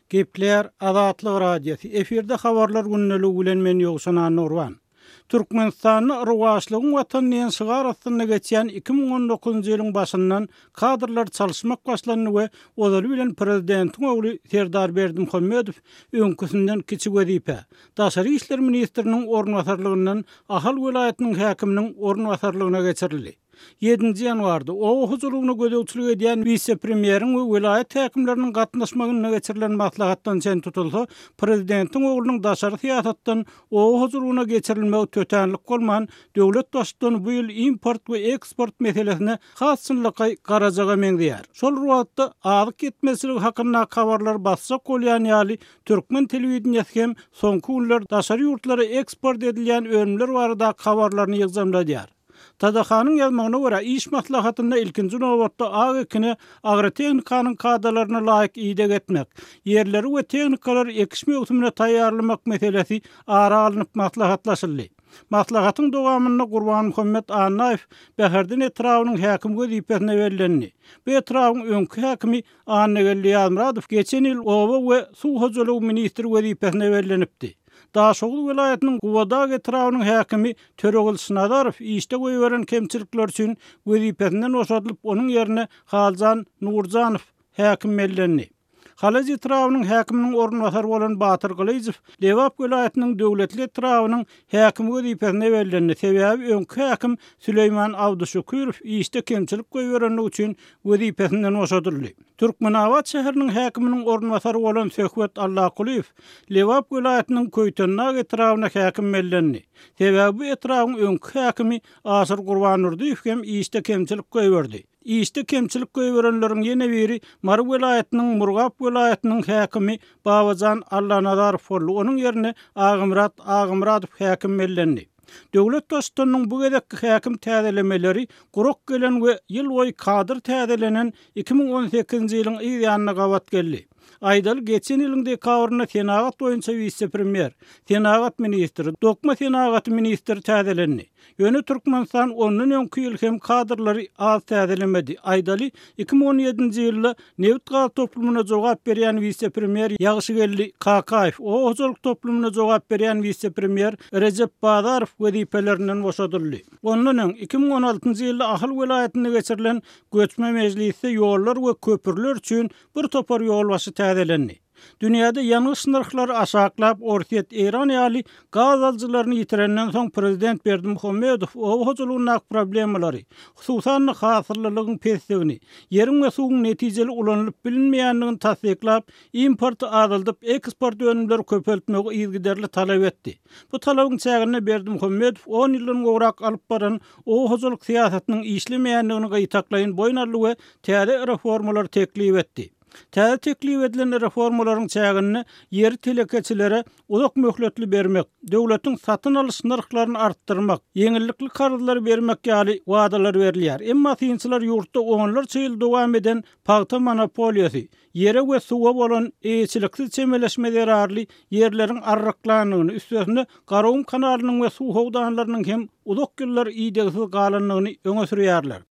Gepleýär Azatlyk Radiosy, efirde Habarlar gündeligi bilen men Ýowşan Annagurban. Türkmenistanda Rowaçlygyň Watany diýen şygar astynda geçýän 2019-njy ýylyň başyndan kadrlary çalyşmak başlandy we ozaly bilen prezidentiň ogly Serdar Berdimuhamedow öňküsinden kiçi wezipä, daşary işler ministriniň orunbasarlygyndan Ahal welaýatynyň häkiminiň orunbasarlygyna geçirildi. Ýedinji ýanwarda oba hojalygyna gözegçilik edýän wise-premýeriň we welaýat häkimleriniň gatnaşmagynda geçirilen maslahatdan çen tutulsa, prezidentiň oglunyň daşary syýasatdan oba hojalygyna geçirilmegi tötänlik bolman, döwlet Baştutany bu ýyl import we eksport meselesine has çynlakaý garajaga meňzeýär. Şol bir wagtda, azyk ýetmezçiligi hakyndaky habarlary basjak bolýan ýaly, türkmen telewideniýesi hem soňky günler daşary ýurtlara eksport edilýän önümler baradaky habarlaryny ýygjamladýar. TDH-nyň ýazmagyna görä, iş maslahatynda ilkinji nobatda ak ekine agrotehnikanyň kadalaryna laýyk ideg etmek, ýerleri we tehnikalary ekiş möwsümine taýýarlamak meselesi ara alnyp maslahatlaşyldy. Maslahatyň dowamynda Gurbanmuhammet Annaýew Bäherden etrabynyň häkimi wezipesine bellendi. Bu etrabyň öňki häkimi Annageldi Ýazmyradow geçen ýyl oba we suw hojalygy ministri wezipesine bellenipdi. Daşoguz welaýatynyň Gubadag etrabynyň häkimi Töregylyç Nazarow işde goýberen kemçilikleri üçin wezipesinden boşadylyp, onuň ýerine Haljan Nurjanow häkim bellendi. Halaç etrabynyň häkiminiň orunbasary bolan Batyr Gylyjow Lebap welaýatynyň Döwletli etrabynyň häkimi wezipesine bellendi, sebäbi öňki häkim Süleýman Abduşükürow işde kemçilik goýberenligi üçin wezipesinden boşadyldy. Türkmenabat şäheriniň häkiminiň orunbasary bolan Söhbet Allakulyýew Lebap welaýatynyň Köýtendag etrabyna häkim bellendi. Sebäbi bu etrabyň öňki häkimi Aşyr Gurbandurdyýew hem işde kemçilik goýberdi. Işde kemçilik goýberenleriň ýene biri Mary welaýatynyň Murgap welaýatynyň häkimi Babajan Allanazarow boldy. Onuň ýerine Agamyrat Agamyradow häkim bellendi. Döwlet Baştutanynyň bu gezekki häkim täzelemeleri gurak gelen we ýyl boýy kadr täzelenen 2018-nji ýylyň yz ýanyna gabat geldi. Aýdaly, geçen ýylyň dekabrynda senagat boýunça wise-premýer, senagat ministri, dokma senagaty ministri täzelendi. Ýöne Türkmenistan ondan öňki ýyl hem kadrlary az täzelemedi. Aýdaly, 2017-nji ýylda nebit-gaz toplumyna jogap berýän wise-premýer Ýagşygeldi Kakaýew, oba hojalyk toplumyna jogap berýän wise-premýer Rejep Bazarow wezipelerinden boşadyldy. Ondan öň, 2016-njy ýylda Ahal welaýatynda geçirilen göçme mejlisde ýollar we köprüler üçin bir topar ýolbaşçy täzelendi. Dünýäde ýangyç nyrhlary aşaklap, Orsýet, Eýran ýaly gaz alyjylaryny ýitirenden soň prezident Berdimuhamedow oba hojalygyndaky problemalary, hususan-da hasyllylygyň pesligini, ýeriň we suwuň netijeli ulanylyp bilinmeýändigini tassyklap, importy azaldyp, eksport önümleri köpeltmegi yzygiderli talap etdi. Bu talabyň çäginde Berdimuhamedow on ýyldan gowrak alyp baran oba hojalyk syýasatynyň işlemeýändigini gytaklaýyn boýun aldy we täze reformalary teklip etdi. Täze teklip edilen reformalaryň çäginde ýeri telekeçilere uzak möhletli bermek, döwletiň satyn alyş nyrhlaryny artdyrmak, ýeňillikli karzlary bermek ýaly wadalar berilýär. Emma synçylar ýurtda onlarça ýyl dowam eden pagta monopoliýasy, ýere we suwa bolan eýeçiliksiz çemeleşme zerarly ýerleriň arryklandygyny, üstesine Garagum kanalynyň we suw howdanlarynyň hem uzak ýyllar idegsiz galandygyny öňe sürýärler.